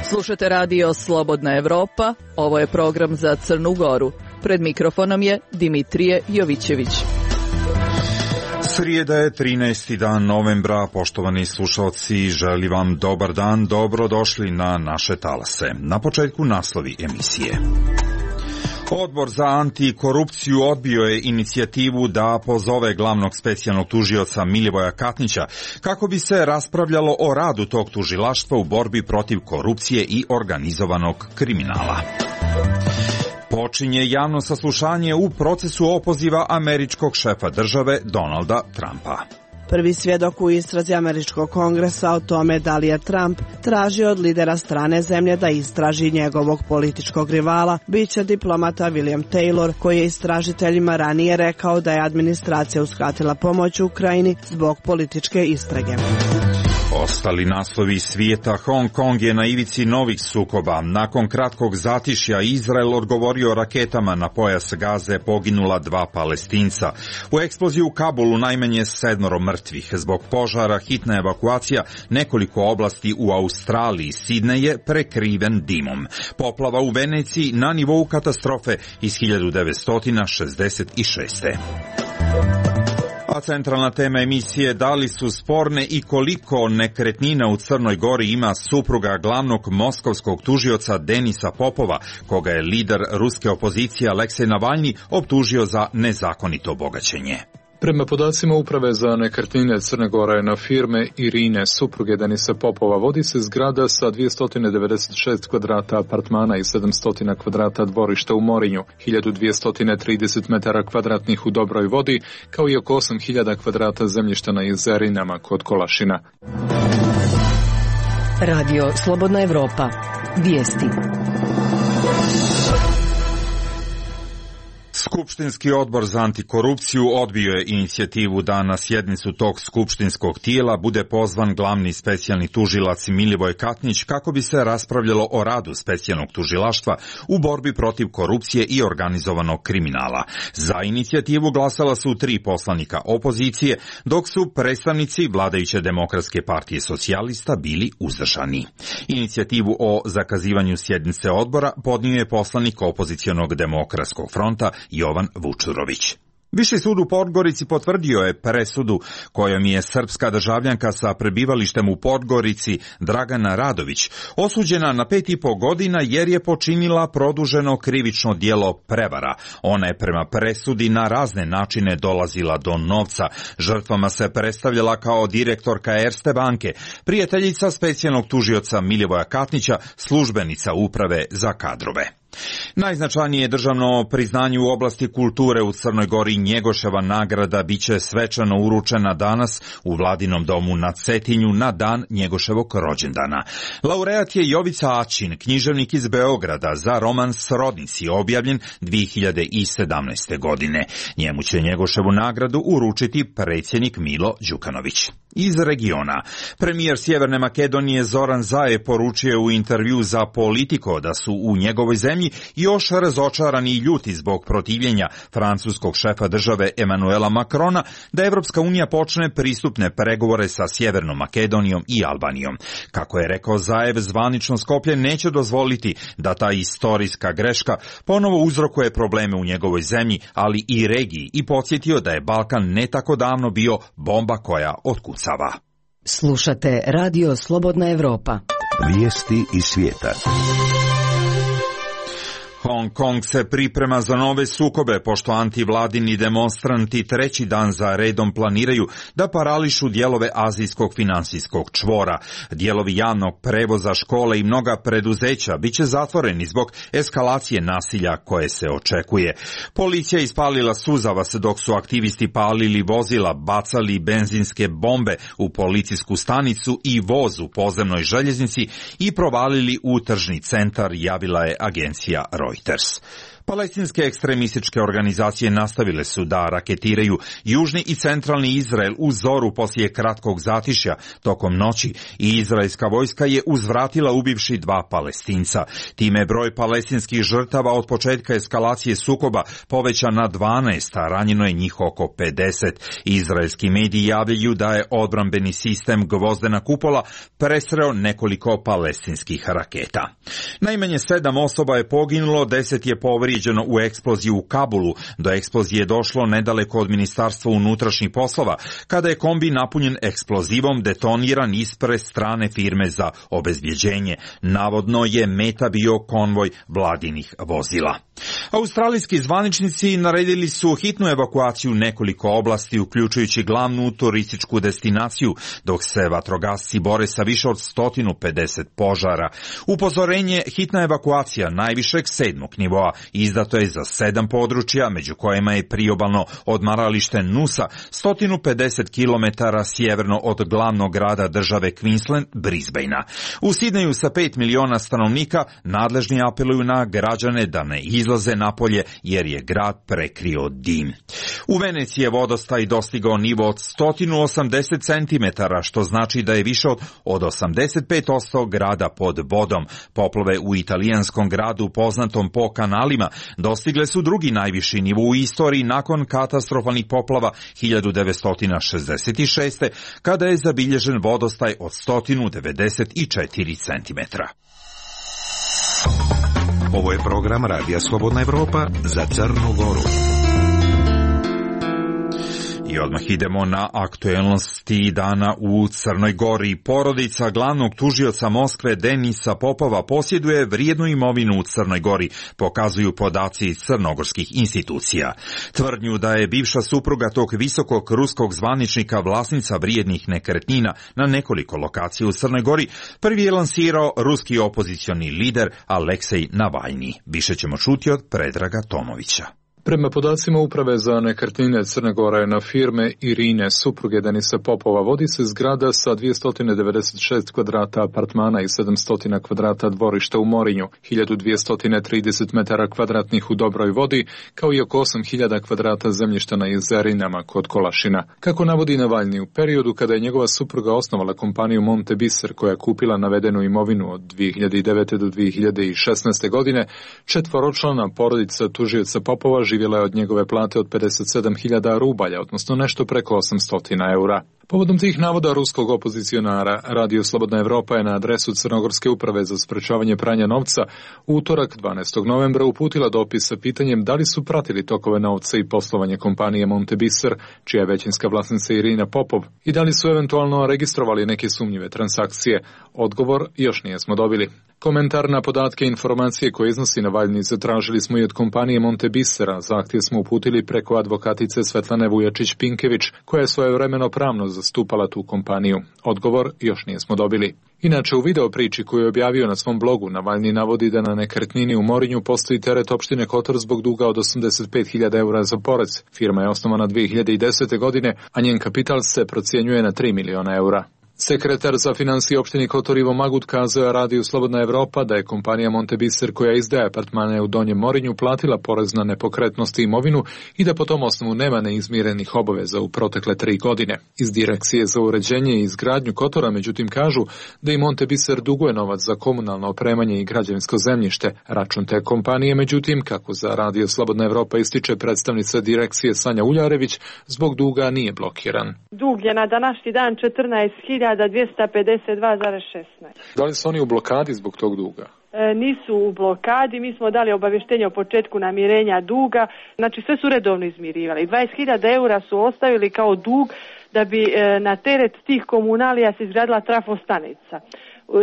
Slušate radio Slobodna Evropa, ovo je program za Crnu Goru. Pred mikrofonom je Dimitrije Jovićević. Srijeda je 13. dan novembra, poštovani slušalci, želim vam dobar dan, dobrodošli na naše talase. Na početku naslovi emisije. Odbor za antikorupciju odbio je inicijativu da pozove glavnog specijalnog tužioca Milivoja Katnića kako bi se raspravljalo o radu tog tužilaštva u borbi protiv korupcije i organizovanog kriminala. Počinje javno saslušanje u procesu opoziva američkog šefa države Donalda Trumpa. Prvi svjedok u istrazi američkog kongresa o tome da li je Trump tražio od lidera strane zemlje da istraži njegovog političkog rivala biće diplomata William Taylor, koji je istražiteljima ranije rekao da je administracija uskratila pomoć Ukrajini zbog političke istrage. Ostali naslovi svijeta. Hong Kong je na ivici novih sukoba. Nakon kratkog zatišja Izrael odgovorio raketama na pojas Gaze, poginula 2 Palestinca. U eksploziji u Kabulu najmanje 7 mrtvih. Zbog požara hitna evakuacija nekoliko oblasti u Australiji. Sidnej je prekriven dimom. Poplava u Veneciji na nivou katastrofe iz 1966. A centralna tema emisije: da li su sporne i koliko nekretnina u Crnoj Gori ima supruga glavnog moskovskog tužioca Denisa Popova, koga je lider ruske opozicije Aleksej Navalnji optužio za nezakonito bogaćenje. Prema podacima Uprave za nekretnine Crne Gore, na firme Irine, supruge Denisa Popova, vodi se zgrada sa 296 kvadrata apartmana i 700 kvadrata dvorišta u Morinju, 1230 metara kvadratnih u Dobroj Vodi, kao i oko 8000 kvadrata zemljišta na Jezerinama kod Kolašina. Radio Slobodna Evropa. Vijesti. Skupštinski odbor za antikorupciju odbio je inicijativu da na sjednicu tog skupštinskog tijela bude pozvan glavni specijalni tužilac Milivoj Katnić kako bi se raspravljalo o radu specijalnog tužilaštva u borbi protiv korupcije i organizovanog kriminala. Za inicijativu glasala su 3 poslanika opozicije, dok su predstavnici vladajuće Demokratske partije socijalista bili uzdržani. Inicijativu o zakazivanju sjednice odbora podnio je poslanik opozicionog Demokratskog fronta Jovan Vučurović. Viši sud u Podgorici potvrdio je presudu kojom je srpska državljanka sa prebivalištem u Podgorici Dragana Radović osuđena na 5,5 godina jer je počinila produženo krivično djelo prevara. Ona je prema presudi na razne načine dolazila do novca. Žrtvama se predstavljala kao direktorka Erste banke, prijateljica specijalnog tužioca Milivoja Katnića, službenica uprave za kadrove. Najznačajnije državno priznanje u oblasti kulture u Crnoj Gori, Njegoševa nagrada, biće svečano uručena danas u Vladinom domu na Cetinju na dan Njegoševog rođendana. Laureat je Jovica Ačin, književnik iz Beograda, za roman Srodnici, objavljen 2017. godine. Njemu će Njegoševu nagradu uručiti predsjednik Milo Đukanović. Iz regiona, premijer Sjeverne Makedonije Zoran Zaev poručio u intervju za Politico da su u njegovoj zemlji još razočarani i ljuti zbog protivljenja francuskog šefa države Emanuela Macrona da Evropska unija počne pristupne pregovore sa Sjevernom Makedonijom i Albanijom. Kako je rekao Zaev, zvanično Skoplje neće dozvoliti da ta istorijska greška ponovo uzrokuje probleme u njegovoj zemlji, ali i regiji, i podsjetio da je Balkan ne tako davno bio bomba koja otkucava. Slušate Radio Slobodna Evropa. Vijesti iz svijeta. Hong Kong se priprema za nove sukobe, pošto antivladini demonstranti 3. dan za redom planiraju da parališu dijelove azijskog finansijskog čvora. Dijelovi javnog prevoza, škole i mnoga preduzeća biće zatvoreni zbog eskalacije nasilja koje se očekuje. Policija je ispalila suzavac dok su aktivisti palili vozila, bacali benzinske bombe u policijsku stanicu i voz u podzemnoj željeznici i provalili u tržni centar, javila je agencija Reuters. Palestinske ekstremističke organizacije nastavile su da raketiraju južni i centralni Izrael u zoru poslije kratkog zatišja tokom noći i izraelska vojska je uzvratila ubivši 2 Palestinca. Time broj palestinskih žrtava od početka eskalacije sukoba povećan na 12, a ranjeno je njih oko 50. Izraelski mediji javljaju da je odbrambeni sistem Gvozdena kupola presreo nekoliko palestinskih raketa. Najmanje 7 osoba je poginulo, 10 je povrijeđeno u eksploziji u Kabulu. Do eksplozije je došlo nedaleko od Ministarstva unutrašnjih poslova, kada je kombi napunjen eksplozivom detoniran ispred strane firme za obezbjeđenje. Navodno je meta bio konvoj vladinih vozila. Australijski zvaničnici naredili su hitnu evakuaciju nekoliko oblasti, uključujući glavnu turističku destinaciju, dok se vatrogasci bore sa više od 150 požara. Upozorenje hitna evakuacija najvišeg 7. nivoa izdato je za 7 područja, među kojima je priobalno odmaralište Nusa, 150 km sjeverno od glavnog grada države Queensland, Brisbanea. U Sidneju sa 5 miliona stanovnika nadležni apeluju na građane da ne izlaze napolje jer je grad prekrio dim. U Veneciji je vodostaj dostigao nivo od 180 cm, što znači da je više od 85% grada pod vodom. Poplave u italijanskom gradu poznatom po kanalima dostigle su drugi najviši nivo u istoriji nakon katastrofalnih poplava 1966. kada je zabilježen vodostaj od 194 cm. Ovo je program Radija Slobodna Evropa za Crnu Goru. I odmah idemo na aktuelnosti dana u Crnoj Gori. Porodica glavnog tužioca Moskve Denisa Popova posjeduje vrijednu imovinu u Crnoj Gori, pokazuju podaci crnogorskih institucija. Tvrdnju da je bivša supruga tog visokog ruskog zvaničnika vlasnica vrijednih nekretnina na nekoliko lokacija u Crnoj Gori prvi je lansirao ruski opozicioni lider Aleksej Navalni. Više ćemo čuti od Predraga Tomovića. Prema podacima Uprave za nekretnine Crne Gore na firme Irine, supruge Denisa Popova, vodi se zgrada sa 296 kvadrata apartmana i 700 kvadrata dvorišta u Morinju, 1230 metara kvadratnih u Dobroj Vodi, kao i oko 8000 kvadrata zemljišta na Jezerinama kod Kolašina. Kako navodi Navalni, u periodu kada je njegova supruga osnovala kompaniju Monte Biser, koja je kupila navedenu imovinu od 2009. do 2016. godine, 4-člana porodica tužioca Popova živjela je od njegove plate od 57.000 rubalja, odnosno nešto preko 800 eura. Povodom tih navoda ruskog opozicionara, Radio Slobodna Evropa je na adresu Crnogorske uprave za sprečavanje pranja novca u utorak 12. novembra uputila dopis sa pitanjem da li su pratili tokove novca i poslovanje kompanije Monte Biser, čija je većinska vlasnica Irina Popov, i da li su eventualno registrovali neke sumnjive transakcije. Odgovor još nismo dobili. Komentar na podatke i informacije koje iznosi Navalni zatražili smo i od kompanije Monte Bisera. Zahtjev smo uputili preko advokatice Svetlane Vujačić-Pinkević, koja je svojevremeno pravno zastupala tu kompaniju. Odgovor još nismo dobili. Inače, u video priči koju je objavio na svom blogu, Navalni navodi da na nekretnini u Morinju postoji teret opštine Kotor zbog duga od 85.000 eura za porez. Firma je osnovana 2010. godine, a njen kapital se procjenjuje na 3 miliona eura. Sekretar za financije opštine Kotor Ivo Magut kazao je Radiju Slobodna Evropa da je kompanija Monte Biser, koja izdaje apartmane u Donjem Morinju, platila porez na nepokretnosti i imovinu i da po tom osnovu nema neizmirenih obaveza u protekle 3 godine. Iz Direkcije za uređenje i izgradnju Kotora, međutim, kažu da i Monte Biser duguje novac za komunalno opremanje i građevinsko zemljište. Račun te kompanije, međutim, kako za Radio Slobodna Evropa ističe predstavnica Direkcije Sanja Uljarević, zbog duga nije blokiran. Dug je na današnji dan 14.252,16. Da li su oni u blokadi zbog tog duga? Nisu u blokadi, mi smo dali obavještenje o početku namirenja duga, znači sve su redovno izmirivali. 20.000 eura su ostavili kao dug da bi na teret tih komunalija se izgradila trafostanica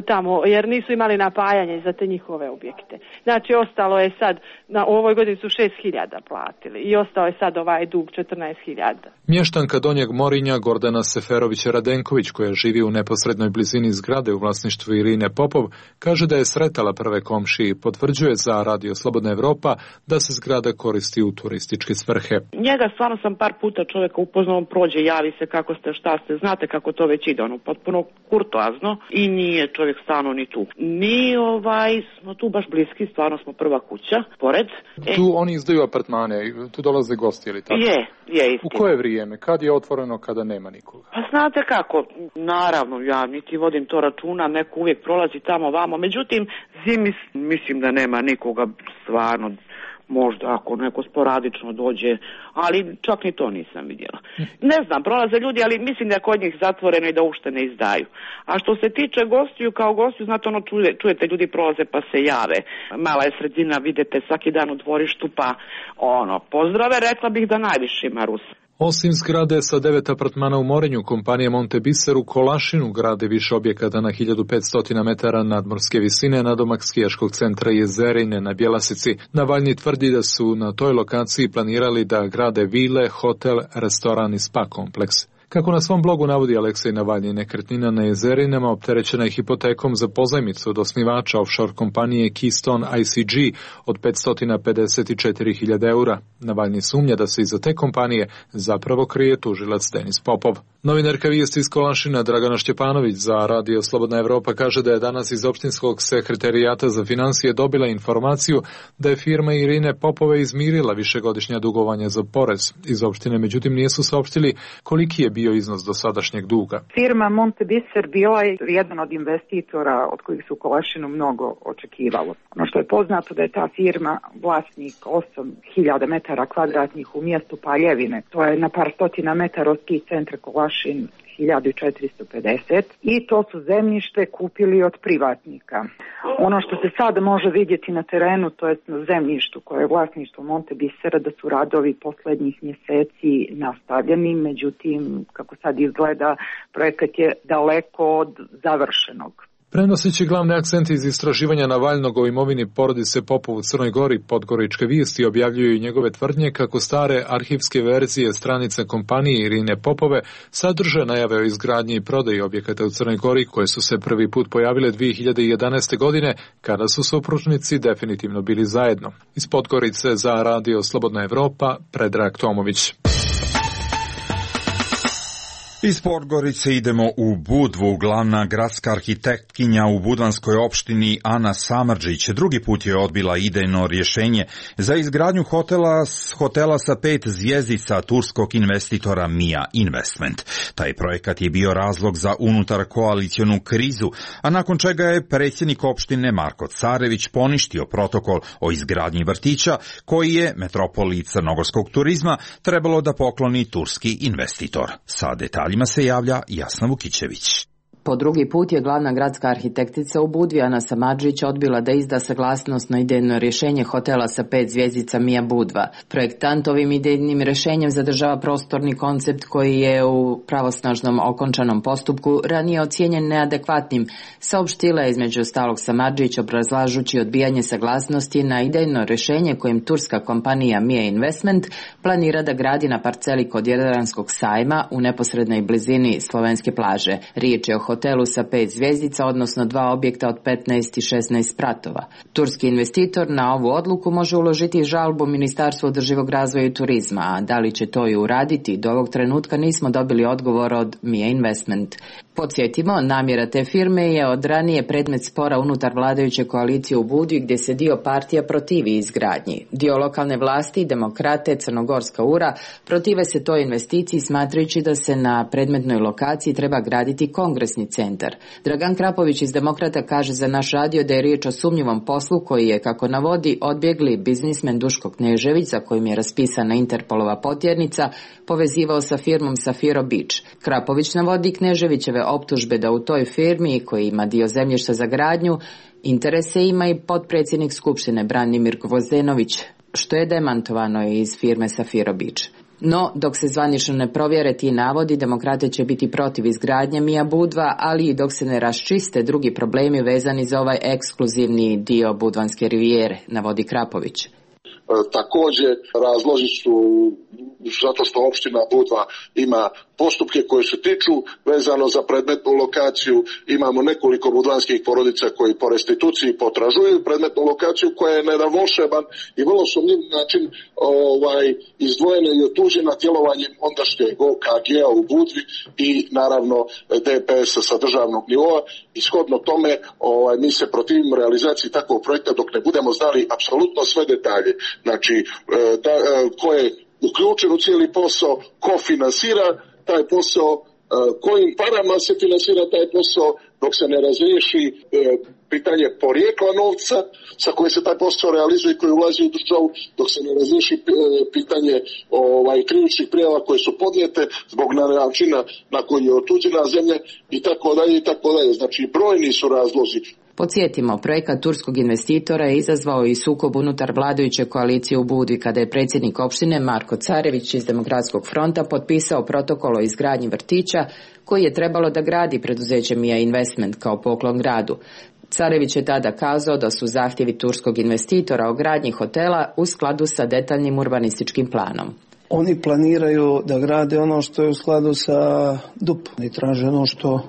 tamo, jer nisu imali napajanje za te njihove objekte. Znači, ostalo je sad, na ovoj godini su 6.000 platili i ostao je sad ovaj dug 14.000. Mještanka Donjeg Morinja Gordana Seferović-Radenković, koja živi u neposrednoj blizini zgrade u vlasništvu Irine Popov, kaže da je sretala prve komšije i potvrđuje za Radio Slobodna Evropa da se zgrada koristi u turističke svrhe. Njega stvarno sam par puta čovjeka upoznao, on prođe, javi se kako ste, šta ste, znate kako to već ide, ono potpuno kurtoazno i nije čovjek stvarno ni tu. Mi smo tu baš bliski, stvarno smo prva kuća, pored. Tu oni izdaju apartmane, tu dolaze gosti ili tako? Je istina. U koje vrijeme? Kad je otvoreno, kada nema nikoga? Pa znate kako, naravno, ja niti vodim to računa, neko uvijek prolazi tamo vamo, međutim, zimi mislim da nema nikoga stvarno. Možda ako neko sporadično dođe, ali čak ni to nisam vidjela. Ne znam, prolaze ljudi, ali mislim da je kod njih zatvoreno i da uopšte ne izdaju. A što se tiče gostiju, kao gostiju, znate čujete ljudi prolaze pa se jave. Mala je sredina, vidite svaki dan u dvorištu pa pozdrave, rekla bih da najviše ima Rusa. Osim zgrade sa 9 apartmana u Morinju, kompanija Montebiser u Kolašinu grade više objekata na 1500 metara nadmorske visine nadomak skijaškog centra Jezerine na Bjelasici. Navalnji tvrdi da su na toj lokaciji planirali da grade vile, hotel, restoran i spa kompleks. Kako na svom blogu navodi Aleksej Navalnji, nekretnina na Jezerinama opterećena je hipotekom za pozajmicu od osnivača offshore kompanije Keystone ICG od 554.000 eura. Navalnji sumnja da se iza te kompanije zapravo krije tužilac Denis Popov. Novinarka vijesti iz Kolašina Dragana Šćepanović za Radio Slobodna Evropa kaže da je danas iz opštinskog sekretarijata za financije dobila informaciju da je firma Irine Popove izmirila višegodišnja dugovanja za porez. Iz opštine međutim nisu saopštili koliki je bio iznos dosadašnjeg duga. Firma Montebiser bila je jedan od investitora od kojih su u Kolašinu mnogo očekivalo. Ono što je poznato da je ta firma vlasnik 8.000 metara kvadratnih u mjestu Paljevine. To je na par stotina metara od ski centra Kolašin 1450 i to su zemljište kupili od privatnika. Ono što se sada može vidjeti na terenu, to je na zemljištu koje je vlasništvo Montebisera, da su radovi posljednjih mjeseci nastavljeni, međutim, kako sad izgleda, projekat je daleko od završenog. Prenoseći glavne akcente iz istraživanja Navalnog o imovini porodice Popov u Crnoj Gori, Podgoričke vijesti objavljuju i njegove tvrdnje kako stare arhivske verzije stranice kompanije Irine Popove sadrže najave o izgradnji i prodaji objekata u Crnoj Gori koje su se prvi put pojavile 2011. godine kada su supružnici definitivno bili zajedno. Iz Podgorice za Radio Slobodna Evropa, Predrag Tomović. Iz Podgorice idemo u Budvu. Glavna gradska arhitektkinja u budvanskoj opštini Ana Samardžić drugi put je odbila idejno rješenje za izgradnju hotela sa 5 zvjezdica turskog investitora Mia Investment. Taj projekat je bio razlog za unutar koalicionu krizu, a nakon čega je predsjednik opštine Marko Carević poništio protokol o izgradnji vrtića koji je metropoli crnogorskog turizma trebalo da pokloni turski investitor. Sa detaljima se javlja Jasna Vukićević. Po drugi put je glavna gradska arhitektica u Budvi Ana Samardžić odbila da izda saglasnost na idejno rješenje hotela sa 5 zvjezdica Mia Budva. Projektant ovim idejnim rješenjem zadržava prostorni koncept koji je u pravosnažnom okončanom postupku ranije ocijenjen neadekvatnim, saopštila je između ostalog Samardžić obrazlažući odbijanje saglasnosti na idejno rješenje kojim turska kompanija Mia Investment planira da gradi na parceli kod Jadranskog sajma u neposrednoj blizini slovenske plaže. Riječ je o hotelu sa 5 zvjezdica, odnosno 2 objekta od 15 i 16 spratova. Turski investitor na ovu odluku može uložiti žalbu Ministarstvu održivog razvoja i turizma, a da li će to i uraditi, do ovog trenutka nismo dobili odgovor od Mia Investment. Podsjetimo, namjera te firme je od ranije predmet spora unutar vladajuće koalicije u Budvi gdje se dio partija protivi izgradnji. Dio lokalne vlasti, demokrate, Crnogorska URA, protive se toj investiciji smatrajući da se na predmetnoj lokaciji treba graditi kongresni centar. Dragan Krapović iz Demokrata kaže za naš radio da je riječ o sumnjivom poslu koji je, kako navodi, odbjegli biznismen Duško Knežević, za kojim je raspisana Interpolova potjernica, povezivao sa firmom Safiro Beach. Krapović navodi Kneževićeve optužbe da u toj firmi, koji ima dio zemljišta za gradnju, interese ima i potpredsjednik Skupštine Branimir Gvozdenović, što je demantovano iz firme Safiro Beach. No, dok se zvanično ne provjere ti navodi, demokrate će biti protiv izgradnje Mia Budva, ali i dok se ne raščiste drugi problemi vezani za ovaj ekskluzivni dio budvanske rivijere, navodi Krapović. Također razlozi su zato što opština Budva ima postupke koje se tiču vezano za predmetnu lokaciju. Imamo nekoliko budvanskih porodica koji po restituciji potražuju predmetnu lokaciju koja je na jedan volšeban i vrlo sumnjiv način izdvojena i otuđena djelovanjem ondašnjeg OKG-a u Budvi i naravno DPS-a sa državnog nivoa. Ishodno tome mi se protivimo realizaciji takvog projekta dok ne budemo znali apsolutno sve detalje. Znači, ko je uključen u cijeli posao, ko finansira taj posao, kojim parama se finansira taj posao, dok se ne razriješi pitanje porijekla novca sa kojim se taj posao realizuje i koji ulazi u državu, dok se ne razriješi pitanje krivičnih prijava koje su podnijete zbog načina na koji je otuđena zemlja i tako dalje i tako dalje. Znači, brojni su razlozi. Podsjetimo, projekat turskog investitora je izazvao i sukob unutar vladajuće koalicije u Budvi kada je predsjednik opštine Marko Carević iz Demokratskog fronta potpisao protokol o izgradnji vrtića koji je trebalo da gradi preduzeće Mia Investment kao poklon gradu. Carević je tada kazao da su zahtjevi turskog investitora o gradnji hotela u skladu sa detaljnim urbanističkim planom. Oni planiraju da grade ono što je u skladu sa DUP i traže ono što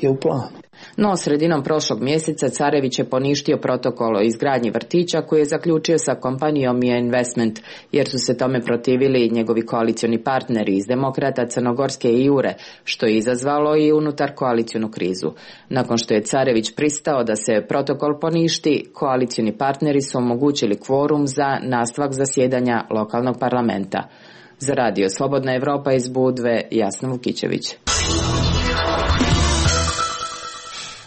je u planu. No, sredinom prošlog mjeseca Carević je poništio protokol o izgradnji vrtića koji je zaključio sa kompanijom Mia Investment, jer su se tome protivili njegovi koalicioni partneri iz Demokrata, Crnogorske i Jure, što je izazvalo i unutar koalicionu krizu. Nakon što je Carević pristao da se protokol poništi, koalicioni partneri su omogućili kvorum za nastavak zasjedanja lokalnog parlamenta. Za radio Slobodna Evropa iz Budve, Jasna Vukićević.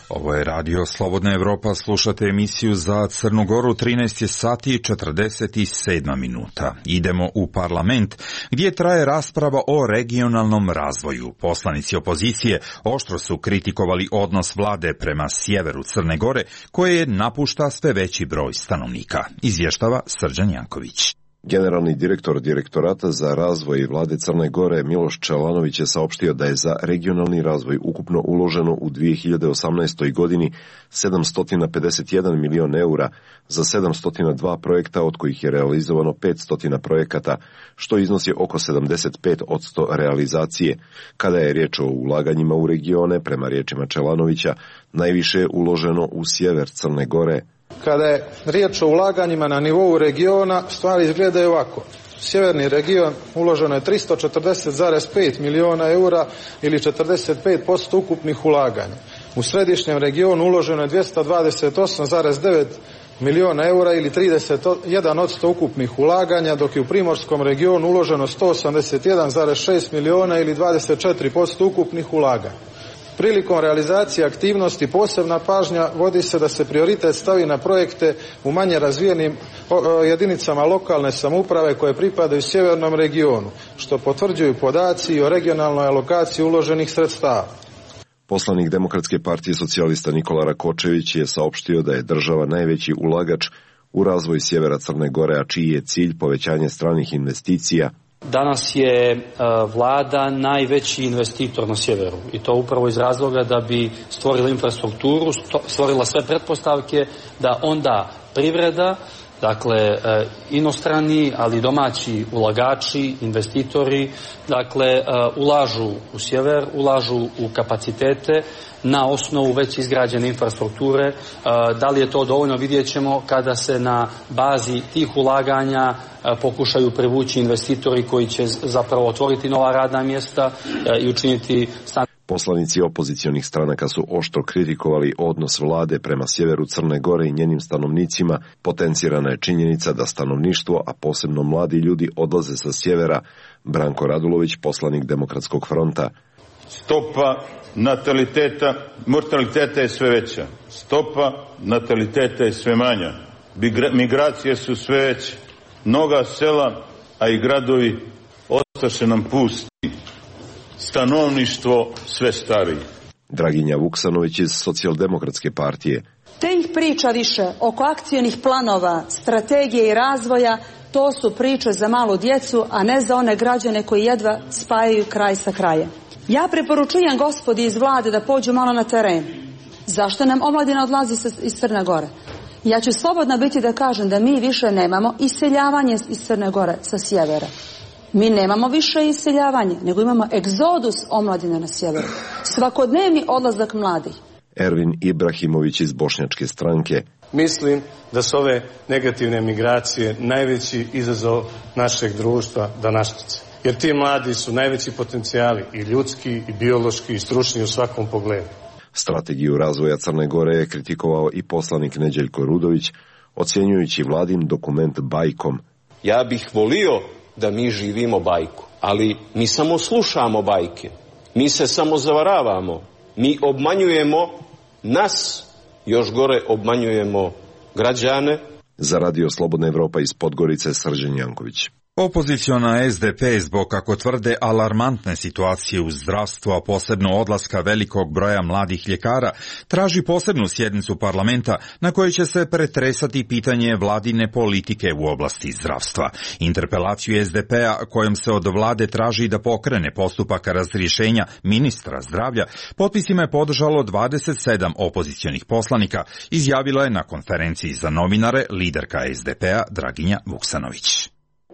Ovo je radio Slobodna Evropa, slušate emisiju za Crnu Goru, 13 sati i 47 minuta. Idemo u parlament gdje traje rasprava o regionalnom razvoju. Poslanici opozicije oštro su kritikovali odnos vlade prema sjeveru Crne Gore koje napušta sve veći broj stanovnika. Izvještava Srđan Janković. Generalni direktor Direktorata za razvoj vlade Crne Gore Miloš Čelanović je saopštio da je za regionalni razvoj ukupno uloženo u 2018. godini 751 milion eura za 702 projekta, od kojih je realizovano 500 projekata, što iznosi oko 75% realizacije. Kada je riječ o ulaganjima u regione, prema riječima Čelanovića, najviše je uloženo u sjever Crne Gore. Kada je riječ o ulaganjima na nivou regiona, stvari izgledaju ovako. Sjeverni region uloženo je 340,5 miliona eura ili 45% ukupnih ulaganja. U središnjem regionu uloženo je 228,9 miliona eura ili 31% ukupnih ulaganja, dok je u primorskom regionu uloženo 181,6 miliona ili 24% ukupnih ulaganja. Prilikom realizacije aktivnosti posebna pažnja vodi se da se prioritet stavi na projekte u manje razvijenim jedinicama lokalne samouprave koje pripadaju sjevernom regionu, što potvrđuju podaci o regionalnoj alokaciji uloženih sredstava. Poslanik Demokratske partije socijalista Nikola Rakočević je saopštio da je država najveći ulagač u razvoj sjevera Crne Gore, a čiji je cilj povećanje stranih investicija. Danas je vlada najveći investitor na sjeveru i to upravo iz razloga da bi stvorila infrastrukturu, stvorila sve pretpostavke da onda privreda, dakle inostrani, ali domaći ulagači, investitori, dakle ulažu u sjever, ulažu u kapacitete na osnovu već izgrađene infrastrukture. Da li je to dovoljno, vidjet ćemo kada se na bazi tih ulaganja pokušaju privući investitori koji će zapravo otvoriti nova radna mjesta i učiniti stan. Poslanici opozicionih stranaka su oštro kritikovali odnos vlade prema sjeveru Crne Gore i njenim stanovnicima. Potencirana je činjenica da stanovništvo, a posebno mladi ljudi, odlaze sa sjevera. Branko Radulović, poslanik Demokratskog fronta. Stopa mortaliteta je sve veća. Stopa nataliteta je sve manja. Migracije su sve veće. Mnoga sela, a i gradovi ostaše nam pusti. Stanovništvo sve stariji. Draginja Vuksanović iz Socijaldemokratske partije. Te ih priča više oko akcionih planova, strategije i razvoja, to su priče za malu djecu, a ne za one građane koji jedva spajaju kraj sa krajem. Ja preporučujem gospodi iz vlade da pođu malo na teren. Zašto nam omladina odlazi iz Crne Gore? Ja ću slobodna biti da kažem da mi više nemamo iseljavanje iz Crne Gore sa sjevera. Mi nemamo više iseljavanje, nego imamo egzodus omladine na sjeveru. Svakodnevni odlazak mladih. Ervin Ibrahimović iz Bošnjačke stranke. Mislim da su ove negativne migracije najveći izazov našeg društva današnjice. Jer ti mladi su najveći potencijali i ljudski, i biološki, i stručni u svakom pogledu. Strategiju razvoja Crne Gore je kritikovao i poslanik Neđeljko Rudović, ocjenjujući vladin dokument bajkom. Ja bih volio da mi živimo bajku, ali mi samo slušamo bajke, mi se samo zavaravamo, mi obmanjujemo nas, još gore obmanjujemo građane. Za Radio Slobodna Evropa iz Podgorice, Srđan Janković. Opoziciona SDP zbog, kako tvrde, alarmantne situacije u zdravstvu, a posebno odlaska velikog broja mladih ljekara, traži posebnu sjednicu parlamenta na kojoj će se pretresati pitanje vladine politike u oblasti zdravstva. Interpelaciju SDP-a kojom se od vlade traži da pokrene postupak razrješenja ministra zdravlja, potpisima je podržalo 27 opozicionih poslanika, izjavila je na konferenciji za novinare liderka SDP-a Draginja Vuksanović.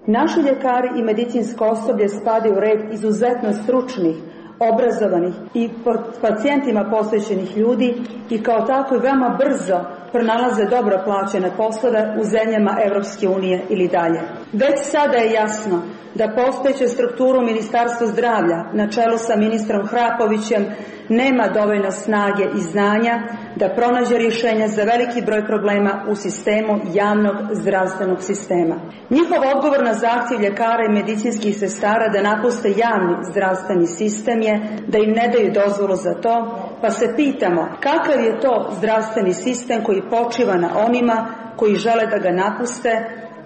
Naši ljekari i medicinsko osoblje spadaju u red izuzetno stručnih, obrazovanih i pacijentima posvećenih ljudi i kao tako veoma brzo pronalaze dobro plaćene poslove u zemljama Evropske unije ili dalje. Već sada je jasno da postojeća strukturu Ministarstva zdravlja na čelu sa ministrom Hrapovićem nema dovoljno snage i znanja da pronađe rješenja za veliki broj problema u sistemu javnog zdravstvenog sistema. Njihov odgovor na zahtjev ljekara i medicinskih sestara da napuste javni zdravstveni sistem je da im ne daju dozvolu za to, pa se pitamo kakav je to zdravstveni sistem koji počiva na onima koji žele da ga napuste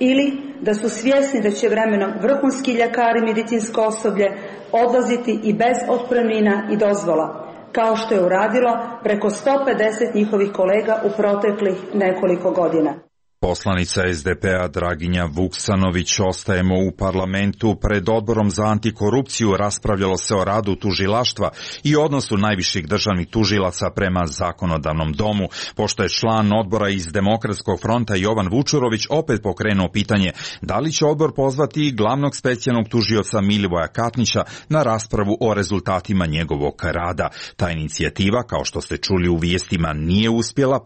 ili da su svjesni da će vremenom vrhunski ljekari i medicinsko osoblje odlaziti i bez otpremnina i dozvola, kao što je uradilo preko 150 njihovih kolega u proteklih nekoliko godina. Poslanica SDP-a Draginja Vuksanović. Ostajemo u parlamentu. Pred odborom za antikorupciju raspravljalo se o radu tužilaštva i odnosu najviših državnih tužilaca prema zakonodavnom domu, pošto je član odbora iz Demokratskog fronta Jovan Vučurović opet pokrenuo pitanje da li će odbor pozvati glavnog specijalnog tužioca Milivoja Katnića na raspravu o rezultatima njegovog rada. Ta inicijativa, kao što ste čuli u vijestima, nije uspjela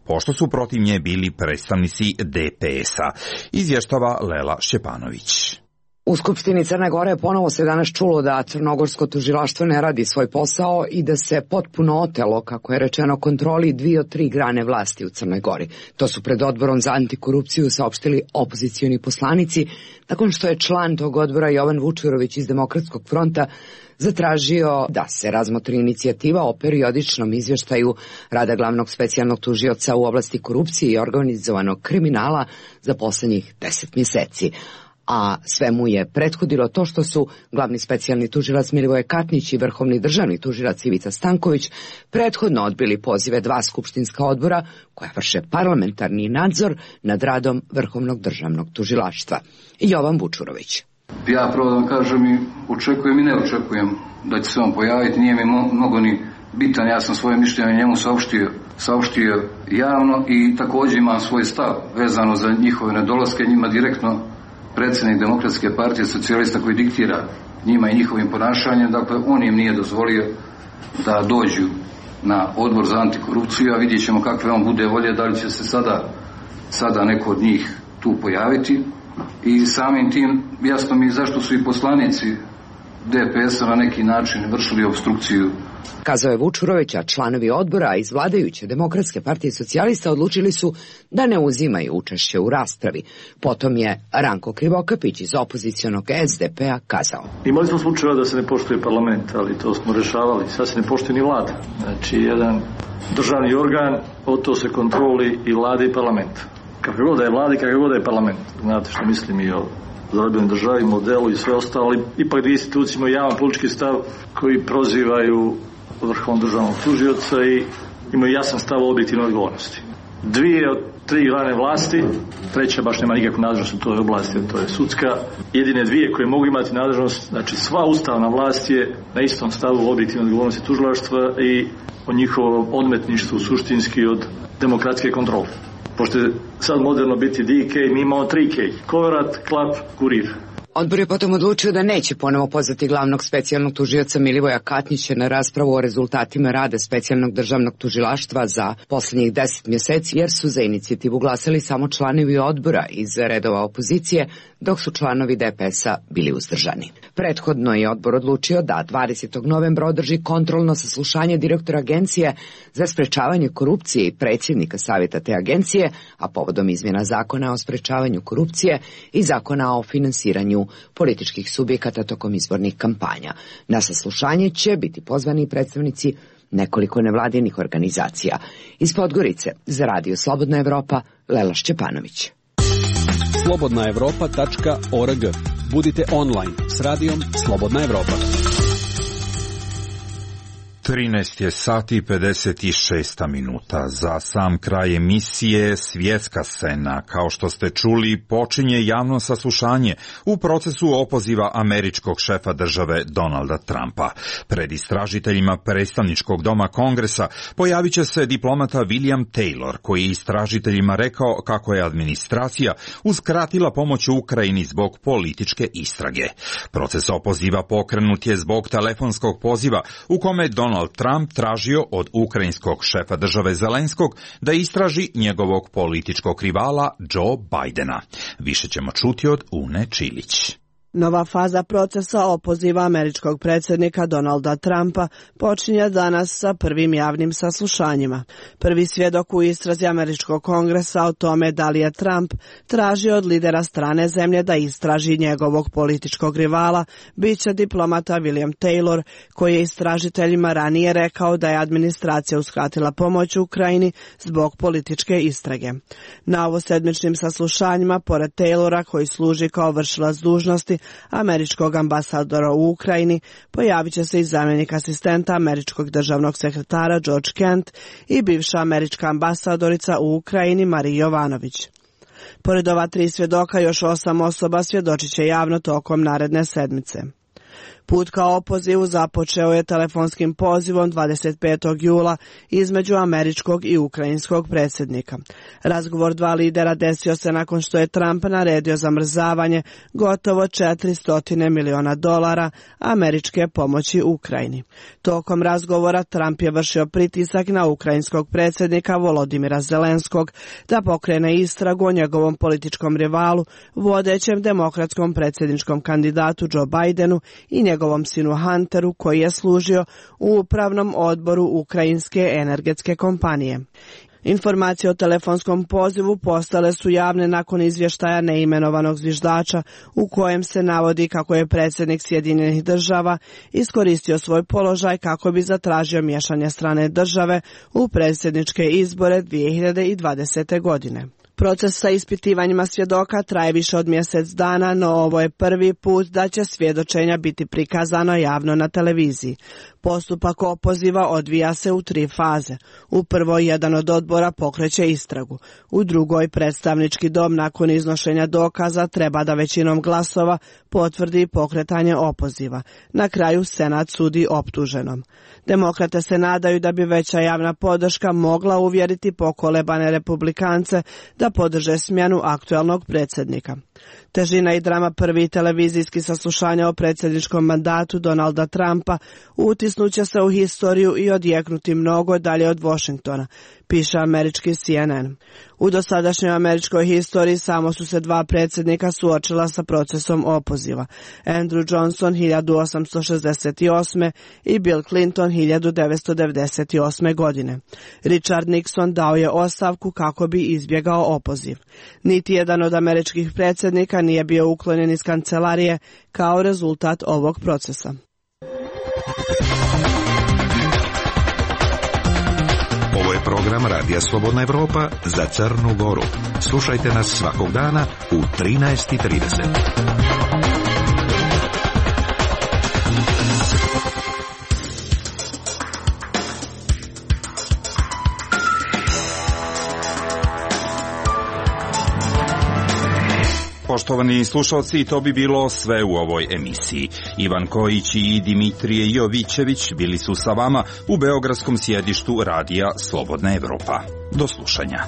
pošto su protiv nje bili predstavnici DPS-a. Izvještava Lela Šćepanović. U Skupštini Crne Gore ponovo se danas čulo da crnogorsko tužilaštvo ne radi svoj posao i da se potpuno otelo, kako je rečeno, kontroli 2 od 3 grane vlasti u Crnoj Gori. To su pred odborom za antikorupciju saopštili opozicioni poslanici, nakon što je član tog odbora Jovan Vučurović iz Demokratskog fronta zatražio da se razmotri inicijativa o periodičnom izvještaju rada glavnog specijalnog tužioca u oblasti korupcije i organizovanog kriminala za posljednjih 10 mjeseci. A sve mu je prethodilo to što su glavni specijalni tužilac Milivoje Katnić i vrhovni državni tužilac Ivica Stanković prethodno odbili pozive 2 skupštinska odbora koja vrše parlamentarni nadzor nad radom vrhovnog državnog tužilaštva. Jovan Vučurović. Ja pravo da vam kažem i očekujem i ne očekujem da će se on pojaviti, nije mi mnogo ni bitan, ja sam svoje mišljenje njemu saopštio javno i također imam svoj stav vezano za njihove nedolaske, njima direktno predsjednik Demokratske partije socijalista koji diktira njima i njihovim ponašanjem, dakle on im nije dozvolio da dođu na odbor za antikorupciju, a vidjet ćemo kakve on bude volje, da li će se sada neko od njih tu pojaviti. I samim tim jasno mi zašto su i poslanici DPS-a na neki način vršili obstrukciju. Kazao je Vučurović, a članovi odbora iz vladajuće Demokratske partije socijalista odlučili su da ne uzimaju učešće u raspravi. Potom je Ranko Krivokapić iz opozicionog SDP-a kazao. Imali smo slučajeva da se ne poštuje parlament, ali to smo rešavali. Sad se ne poštuje ni vlada. Znači, jedan državni organ, od to se kontroli i vlada i parlament. Kako god da je vlada i kako god da je parlament. Znate što mislim i o zarobljenoj državi, modelu i sve ostalo, ali ipak da institucije imaju javan politički stav koji prozivaju vrhovnog državnog tužioca i imaju jasan stav o objektivnoj odgovornosti. 2 od 3 grane vlasti, treća baš nema nikakvu nadležnost u toj oblasti, to je sudska. Jedine dvije koje mogu imati nadležnost, znači sva ustavna vlast je na istom stavu objektivne odgovornosti tužilaštva i o njihovom odmetništvu suštinski od demokratske kontrole. Pošto je sad moderno biti DK, mi imamo 3K, Koverat, Klap, Kurir. Odbor je potom odlučio da neće ponovo pozvati glavnog specijalnog tužioca Milivoja Katnića na raspravu o rezultatima rada specijalnog državnog tužilaštva za posljednjih 10 mjeseci, jer su za inicijativu glasali samo članovi odbora iz redova opozicije, dok su članovi DPS-a bili uzdržani. Prethodno je odbor odlučio da 20. novembra održi kontrolno saslušanje direktora Agencije za sprečavanje korupcije i predsjednika savjeta te agencije, a povodom izmjena zakona o sprečavanju korupcije i zakona o finansiranju političkih subjekata tokom izbornih kampanja. Na saslušanje će biti pozvani predstavnici nekoliko nevladinih organizacija. Iz Podgorice za Radio Slobodna Evropa, Lela Šćepanović. slobodnaevropa.org. Budite online s radijom Slobodna Evropa. 13 je sati i 56 minuta. Za sam kraj emisije Svjetska scena. Kao što ste čuli, počinje javno saslušanje u procesu opoziva američkog šefa države Donalda Trumpa. Pred istražiteljima predstavničkog doma Kongresa pojavit će se diplomata William Taylor, koji je istražiteljima rekao kako je administracija uskratila pomoć Ukrajini zbog političke istrage. Proces opoziva pokrenut je zbog telefonskog poziva u kome Donald Trump tražio od ukrajinskog šefa države Zelenskog da istraži njegovog političkog rivala Joe Bidena. Više ćemo čuti od Une Čilić. Nova faza procesa opoziva američkog predsjednika Donalda Trumpa počinje danas sa prvim javnim saslušanjima. Prvi svjedok u istrazi američkog kongresa o tome da li je Trump tražio od lidera strane zemlje da istraži njegovog političkog rivala bit će diplomata William Taylor, koji je istražiteljima ranije rekao da je administracija uskratila pomoć Ukrajini zbog političke istrage. Na ovosedmičnim saslušanjima, pored Taylora, koji služi kao vršilac dužnosti američkog ambasadora u Ukrajini, pojavit će se i zamjenik asistenta američkog državnog sekretara George Kent i bivša američka ambasadorica u Ukrajini Marija Jovanović. Pored ova 3 svjedoka, još 8 osoba svjedočit će javno tokom naredne sedmice. Put ka opozivu započeo je telefonskim pozivom 25. jula između američkog i ukrajinskog predsjednika. Razgovor 2 lidera desio se nakon što je Trump naredio zamrzavanje gotovo $400 miliona američke pomoći Ukrajini. Tokom razgovora Trump je vršio pritisak na ukrajinskog predsjednika Volodimira Zelenskog da pokrene istragu o njegovom političkom rivalu, vodećem demokratskom predsjedničkom kandidatu Joe Bidenu i njegovom sinu Hunteru, koji je služio u upravnom odboru ukrajinske energetske kompanije. Informacije o telefonskom pozivu postale su javne nakon izvještaja neimenovanog zviždača u kojem se navodi kako je predsjednik Sjedinjenih država iskoristio svoj položaj kako bi zatražio miješanje strane države u predsjedničke izbore 2020. godine. Proces sa ispitivanjima svjedoka traje više od mjesec dana, no ovo je prvi put da će svjedočenja biti prikazano javno na televiziji. Postupak opoziva odvija se u 3 faze. U prvoj jedan od odbora pokreće istragu. U drugoj predstavnički dom nakon iznošenja dokaza treba da većinom glasova potvrdi pokretanje opoziva. Na kraju Senat sudi optuženom. Demokrate se nadaju da bi veća javna podrška mogla uvjeriti pokolebane republikance da podrže smjenu aktualnog predsjednika. Težina i drama prvih televizijskih saslušanja o predsjedničkom mandatu Donalda Trumpa utisnuće se u historiju i odjeknuti mnogo dalje od Washingtona, piše američki CNN. U dosadašnjoj američkoj historiji samo su se 2 predsjednika suočila sa procesom opoziva. Andrew Johnson 1868. i Bill Clinton 1998. godine. Richard Nixon dao je ostavku kako bi izbjegao opoziv. Niti jedan od američkih predsjednika nije bio uklonjen iz kancelarije kao rezultat ovog procesa. Ovo je program Radija Slobodna Evropa za Crnu Goru. Slušajte nas svakog dana u 13:30. Poštovani slušalci, to bi bilo sve u ovoj emisiji. Ivan Kojić i Dimitrije Jovićević bili su sa vama u beogradskom sjedištu Radija Slobodna Evropa. Do slušanja.